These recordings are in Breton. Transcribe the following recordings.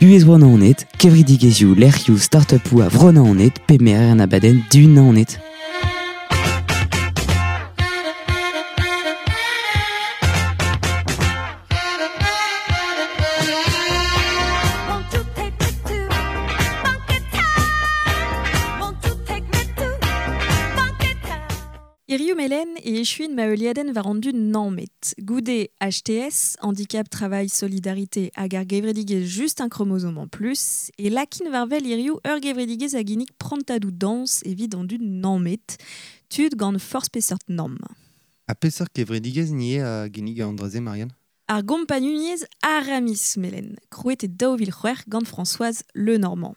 Buhez Bro-Naoned, kevredigezhioù, lec'hioù, start-upoù a Vro-Naoned pe merer an abadenn Dihun Naoned. Hiziv Melen e echuin ma heuliadenn war an dud nammet. Goude HTS, Handicap Travail Solidarité hag ar gevredigezh Just un chromosome en plus, e lakin war wel hiziv ur gevredigezh a ginnig prantadoù dañs evit an dud nammet, tud gant forzh peseurt namm. Ha peseurt kevredigezh 'ni eo a ginnig an dra-se, Marianne? Ar gompagnuniezh Aramis Melen, krouet e 2006 gant Françoise Lenormand.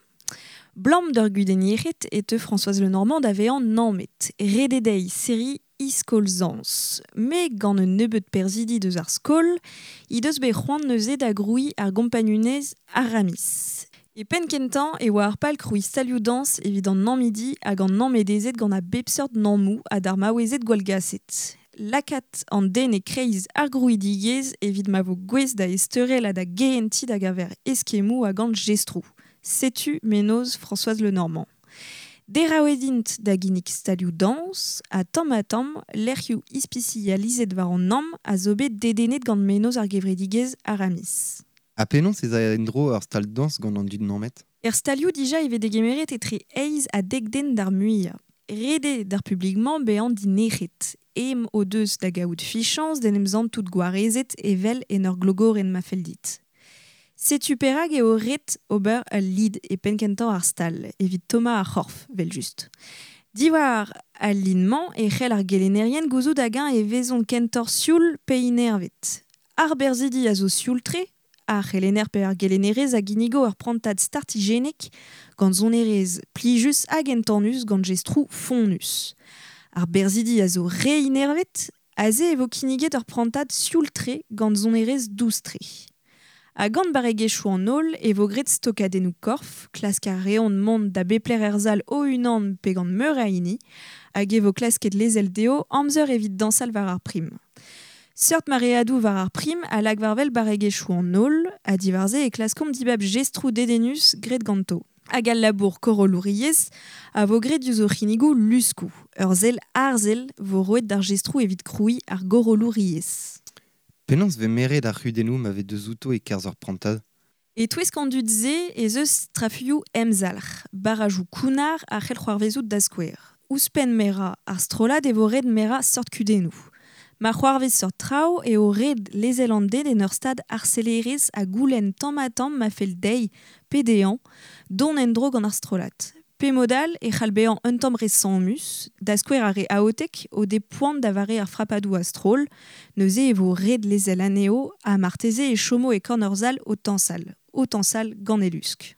Blam d'ur gudenn yec'hed e teu Françoise Lenormand da vezañ nammet. Ret eo dezhi serriñ he skol zañs. Met gant un nebeud perzhidi deus ar skol he deus bet c'hoant neuze da grouiñ ar gompagnunezh Aramis. E penn-kentañ e oa ar pal krouiñ stalioù dañs evit an nammidi hag an nammedezed gant a bep seurt nammoù ha d'ar maouezed gwallgaset. Lakaat an den e-kreiz ar grouidigezh evit ma vo gouest da ezteurel ha da gehentiñ da geñver eskemmoù ha gant jestroù. Setu mennozh Françoise Lenormand. Deraouet int da ginnig stalioù dañs ha tamm-ha-tamm lec'hioù ispisializet war an namm a zo bet dedennet gant mennozh ar gevredigezh Aramis. Ha penaos ez a en-dro ur stal dañs gant an dud nammet? Er stalioù dija e vez degemeret etre eizh ha dek den d'ar muiañ. Ret eo d'ar publik-mañ bezañ dinec'het. Ezhomm o deus da gaout fichañs d'en em santout gwarezet evel en ur glogorenn ma fell dit. Setu perak eo ret ober ul lid e penn-kentañ ar stal, evit tommañ ar c'horf, evel-just. Diwar al lid-mañ e c'hell ar gelennerien gouzout hag-eñ e vezont kentoc'h sioul pe inervet. Ar berzhidi a zo sioul-tre, ar c'helenner pe ar gelennerez a ginnigo ur prantad startijennek gant sonerezh plijus hag entanus gant jestroù fonnus. Ar berzhidi a zo re inervet, aze e vo kinniget ur prantad sioul-tre gant sonerezh dous-tre. Ha gant barregezhioù an holl e vo graet stokadennoù korf, klask a reont mont da bep lec'h er sal o-unan pe gant meur a hini, hag e vo klasket lezel dezho amzer evit dañsal war ar prim. Seurt mareadoù war ar prim a lak war-wel barregezhioù an holl, ha diwar-se e klaskomp dibab jestroù dedennus graet ganto. Hag al labour korollouriezh a vo graet diouzh o c'hinnigoù luskoù. Ur sell arzel vo roet d'ar jestroù evit krouiñ ar gorollouriezh. Penaos 'vez meret ar c'hudennoù ma vez deus outo e-kerzh ur prantad? E-touesk an dud-se ez eus strafuilhoù emzalc'h, barrajoù kounnar a c'hell c'hoarvezout da skouer. Ouzhpenn merañ ar strollad e vo ret merañ seurt kudennoù. Ma c'hoarvez seurt traoù eo ret lezel an den en ur stad harselerezh ha goulenn tamm-ha-tamm ma fell dezhi pe dezhañ dont en-dro gant ar strollad. Pe mod all e c'hall bezañ un tamm re sammus, da skouer ar re aotek o dez poan da vare ar frapadoù a-stroll, neuze e vo ret lezel anezho ha marteze e chomo e korn ur sal o tañsal, o tañsal gant e lusk.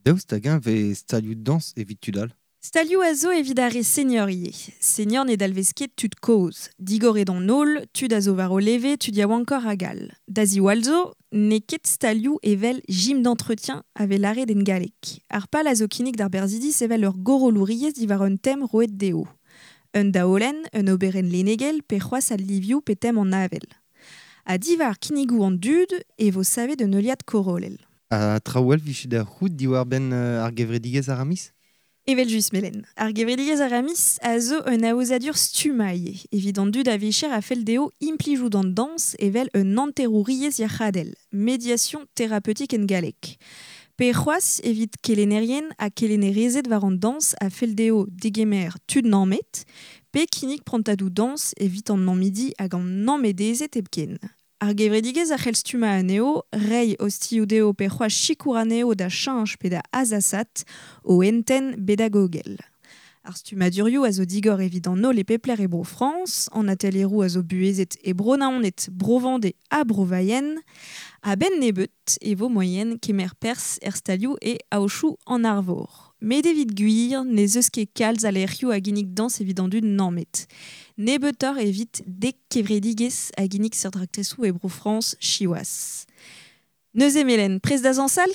Daoust hag-eñ 'vez stalioù dañs evit tud all? Stalioù a zo evit ar re senior ivez. Senior ne dalvez ket tud kozh. Digoret an holl, tud a zo war o leve, tud yaouankoc'h hag all. Da ziwall zo, n'eo ket stalioù evel gym d'entretien a vez lâret en galleg. Ar pal a zo kinnig d'ar berzhidi sevel ur gorollouriezh diwar un tem roet dezho. Un daolenn, un oberenn lennegel pe c'hoazh al livioù pe tem an avel. Ha diwar kinnigoù an dud e vo savet un heuliad korollel. Ha traoù all 'vije da c'hoût diwar-benn ar gevredigezh Aramis? Evel-just, Melen. Ar gevredigezh Aramis a zo un aozadur stummañ ivez, evit an dud a-vicher a fell dezho implijout an dañs evel un hanterouriezh yac'hadel, médiation thérapeutique en galleg. Pe c'hoazh evit kelennerien ha kelennerezed war an dañs a fell dezho degemer tud nammet, pe kinnig prantadoù dañs evit an nammidi hag an nammedezed hepken. Ar gevredigezh a c'hell stummañ anezho, reiñ ostilhoù dezho pe c'hoazh sikour anezho da cheñch pe da azasat o hentenn bedagogel. Ar stummadurioù a zo digor evit an holl e pep lec'h e Bro-Frañs, an atelieroù a zo buhezet e Bro-Naoned, Bro-Vendée ha Bro-Vayen. A-benn nebeut e vo moaien kemer perzh er stalioù e Aochou an Arvor. Met evit gwir n'ez eus ket kalz a lec'hioù a ginnig dañs evit an dud nammet. Nebeutoc'h evit dek kevredigezh a ginnig seurt raktresoù e Bro-Frañs siwazh. Neuze Melen, prest da zañsal?